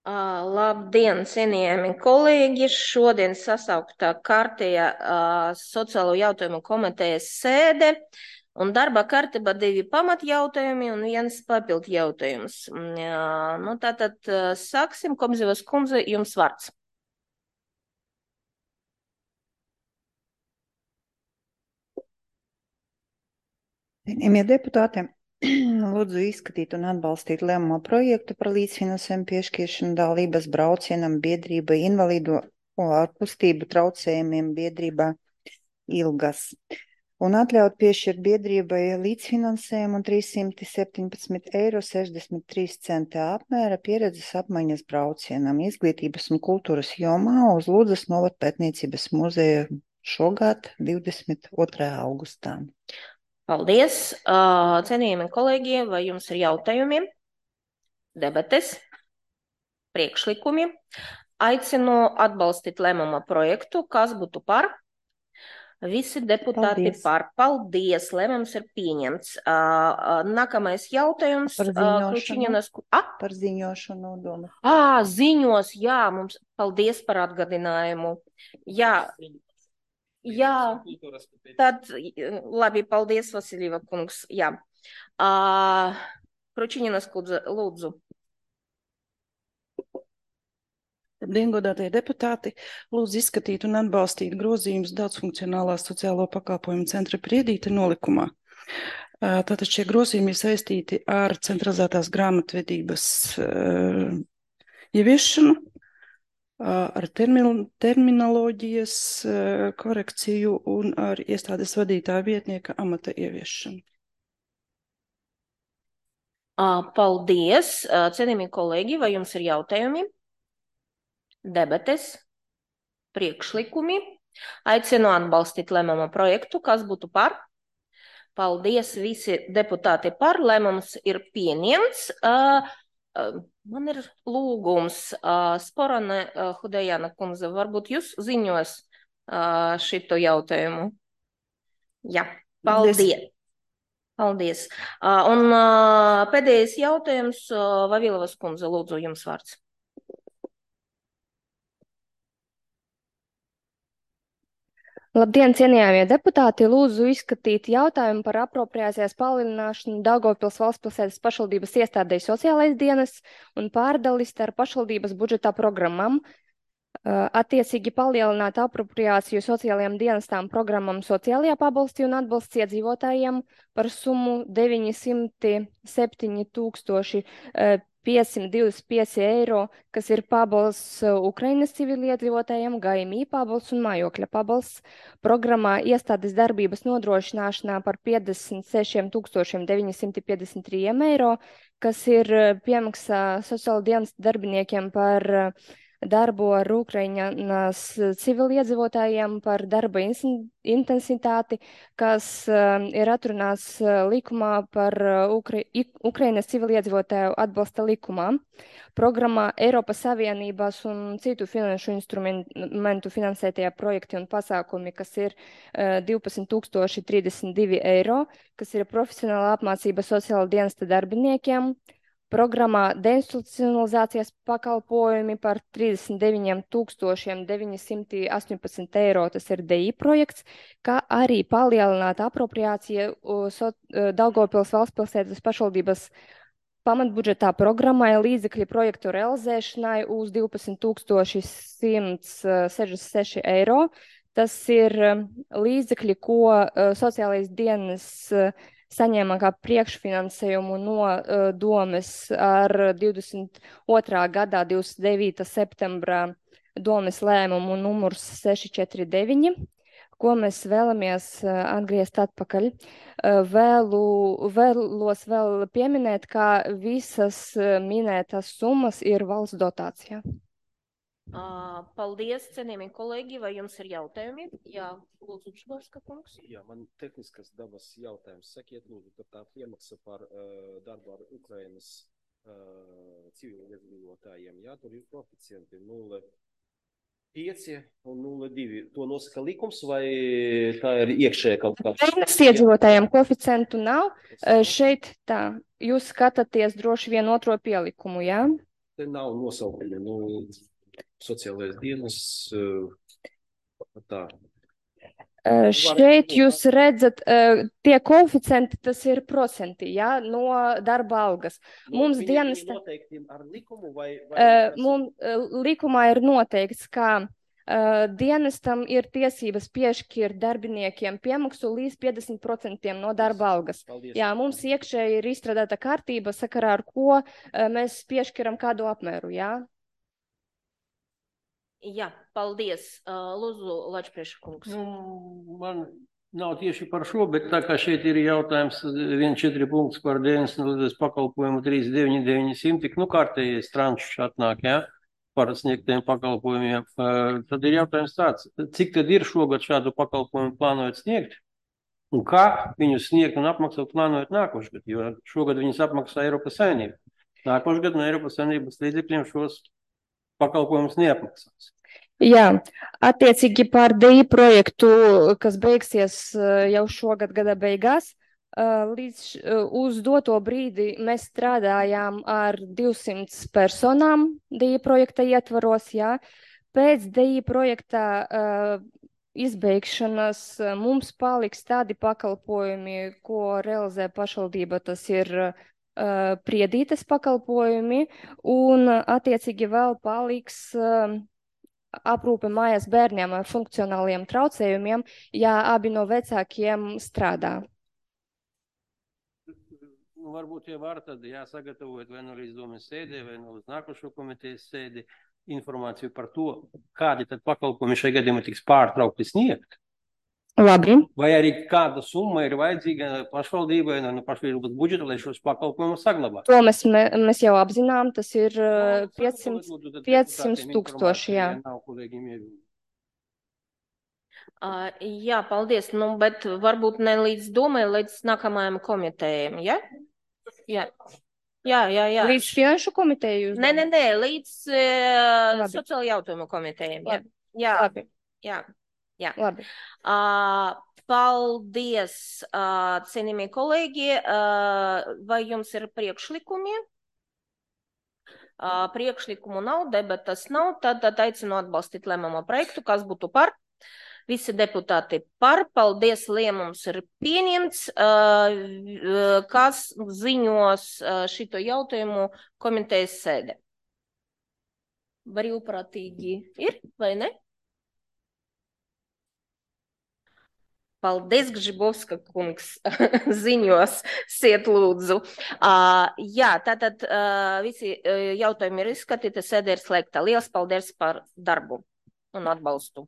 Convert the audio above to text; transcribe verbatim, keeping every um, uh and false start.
Uh, labdien, cienījami kolēģi! Šodien sasauktā kārtējā uh, sociālo jautājumu komitejas sēde un darba kārtībā divi pamatjautājumi un viens papildu jautājums. Uh, nu, tātad uh, sāksim. Komzivas kundze, jums vārds. Cienījamie deputāti, lūdzu izskatīt un atbalstīt lēmumu projektu par līdzfinansējumu piešķiršanu dalības braucienam biedrībai invalīdu ar kustību traucējumiem biedrībā Ilgas. Un atļaut piešķirt biedrībai līdzfinansējumu trīs simti septiņpadsmit eiro sešdesmit trīs centi apmēra pieredzes apmaiņas braucienam izglītības un kultūras jomā uz Ludzas novada pētniecības muzeju šogad divdesmit otrajā augustā. Paldies! Uh, cienījami kolēģi, vai jums ir jautājumi, debates, priekšlikumi? Aicinu atbalstīt lēmuma projektu, kas būtu par. Visi deputāti Paldies. par. Paldies, lēmums ir pieņemts. Uh, nākamais jautājums. Par Uh, Kručiņinas... ziņošanu. Par ziņošanu doma. Ā, ziņos, jā, mums paldies par atgādinājumu. Jā, jā, tad labi, paldies, Vasiljeva kungs. Jā. Uh, Kručiņinas kundze, lūdzu. Labdien, godātie deputāti! Lūdzu izskatīt un atbalstīt grozījumus daudzfunkcionālā sociālo pakalpojumu centra Priedīte nolikumā. Tātad šie grozījumi ir saistīti ar centralizētās grāmatvedības uh, ieviešanu, uh, ar termin terminoloģijas uh, korekciju un ar iestādes vadītāja vietnieka amata ieviešanu. Uh, paldies, uh, cienījamie kolēģi, vai jums ir jautājumi? Debates, priekšlikumi. Aicinu atbalstīt lēmuma projektu, kas būtu par. Paldies visi deputāti par. Lēmums ir pieņemts. Uh, uh, man ir lūgums, uh, Sporane uh, Hudejana kundze, varbūt jūs ziņos uh, šito jautājumu? Jā, paldies. Paldies. Paldies. Uh, un uh, pēdējais jautājums, uh, Vavilovas kundze, lūdzu, jums vārds. Labdien, cienījamie deputāti! Lūdzu izskatīt jautājumu par apropriācijas palielināšanu Daugavpils valstspilsētas pašvaldības iestādei sociālais dienas un pārdali starp pašvaldības budžetā programmām. Attiecīgi palielināt apropriāciju sociālajām dienestām programmam sociālajā pabalsti un atbalsts iedzīvotājiem par summu deviņsimt septiņi tūkstoši piecsimt divdesmit pieci eiro, kas ir pabalsts Ukrainas civiliedzīvotājiem, G M I pabalsts un mājokļa pabalsts. Programmā iestādes darbības nodrošināšanā par piecdesmit sešiem tūkstošiem deviņsimt piecdesmit trīs eiro, kas ir piemaksā sociāla dienas darbiniekiem par darbu ar Ukrainas civiliedzīvotājiem, par darba intensitāti, kas uh, ir atrunāts uh, likumā par uh, Ukra Ukrainas civiliedzīvotāju atbalsta likumā. Programmā Eiropas Savienības un citu finanšu instrumentu finansētie projekti un pasākumi, kas ir uh, divpadsmit tūkstoši trīsdesmit divi eiro, kas ir profesionāla apmācība sociāla dienesta darbiniekiem. Programmā deinstitucionalizācijas pakalpojumi par trīsdesmit deviņiem tūkstošiem deviņsimt astoņpadsmit eiro, tas ir D I projekts, kā arī palielināt apropriāciju so, Daugavpils valstspilsētas pašvaldības pamatbudžetā programmai līdzekļu projektu realizēšanai uz divpadsmit tūkstoši simt sešdesmit seši eiro. Tas ir līdzekļi, ko sociālais dienas saņēma kā priekšfinansējumu no uh, domes ar divdesmit otrā gadā divdesmit devītā septembrā domes lēmumu numurs seši četri deviņi, ko mēs vēlamies uh, atgriezt atpakaļ. Uh, vēlu, vēlos vēl pieminēt, ka visas uh, minētas summas ir valsts dotācijā. Uh, paldies, cienījamie kolēģi, vai jums ir jautājumi? Jā, lūdzu, Švarska kungs. Jā, man tehniskas dabas jautājums. Sakiet, lūdzu, ka tā piemaksa par uh, darbu ar Ukrainas uh, civiliedzīvotājiem, jā, tur ir koeficienti nulle pieci un nulle divi. To nosaka likums vai tā ir iekšēja kaut kāds? Ukrainas iedzīvotājiem koeficientu nav. Uh, šeit tā, jūs skatāties droši vien otro pielikumu, jā? Te nav nosaukumi, nu, sociālais dienas, tā. Uh, šeit jūs redzat, uh, tie koeficienti, tas ir procenti, jā, no darba algas. No, Mums viņi, dienesta, viņi noteikti ar likumu vai, vai uh, mums, uh, likumā ir noteikts, ka uh, dienestam ir tiesības piešķirt darbiniekiem piemaksu līdz piecdesmit procentiem no darba algas. Paldies. Jā, mums iekšēji ir izstrādāta kārtība, sakarā ar ko uh, mēs piešķiram kādu apmēru, jā. Jā, paldies. Lūdzu, Lačprieša kungs. Nu, man nav tieši par šo, bet tā kā šeit ir jautājums viens četri punkts par dienas pakalpojumu trīs deviņi deviņi simti, nu kārtējais tranšs atnāk, jā, par sniegtiem pakalpojumiem. Tad ir jautājums tāds, cik tad ir šogad šādu pakalpojumu plānojot sniegt? Un kā viņus sniegt un apmaksāt plānojot nākošgad, jo šogad viņus apmaksā Eiropas Savienība. Nākošgad no Eiropas Savienības līdzekļiem šos pakalpojumus neapmaksās. Jā, attiecīgi par D I projektu, kas beigsies jau šogad gada beigās, līdz uz doto brīdi mēs strādājām ar divsimt personām D I projekta ietvaros, jā. Pēc D I projekta uh, izbeigšanas mums paliks tādi pakalpojumi, ko realizē pašvaldība, tas ir uh, priedītes pakalpojumi, un attiecīgi vēl paliks uh, aprūpe mājās bērniem ar funkcionāliem traucējumiem, ja abi no vecākiem strādā. Nu, varbūt jau var tad jāsagatavot vai no līdz domas sēdē, vai no līdz nākošo komitejas sēdi informāciju par to, kādi tad pakalpojumi šajā gadījumā tiks pārtraukti sniegt. Labi. Vai arī kāda summa ir vajadzīga pašvaldībai no pašvaldības budžeta, lai šos pakalpojumus saglabātu? To mēs, mēs jau apzinām, tas ir piecsimt tūkstoši, jā. Uh, jā, paldies, nu, bet varbūt ne līdz domai, līdz nākamajam komitējiem, ja? Jā. Jā, jā, jā. Līdz finanšu komiteju? Nē, nē, nē, līdz uh, sociāla jautājumu komitējiem, jā. Jā, Labi. Jā. Jā. Labi. Uh, paldies, uh, cienījamie kolēģi. Uh, vai jums ir priekšlikumi? Uh, priekšlikumu nav, debatas nav, tad, tad aicinu atbalstīt lēmumu projektu, kas būtu par. Visi deputāti par. Paldies, lēmums ir pieņemts. Uh, kas ziņos uh, šito jautājumu komitejas sēde? Brīvprātīgi ir vai ne? Paldies, Gžibovska kungs, ziņos, siet lūdzu. Uh, jā, tātad uh, visi uh, jautājumi ir izskatīti, sēde ir slēgta. Liels paldies par darbu un atbalstu.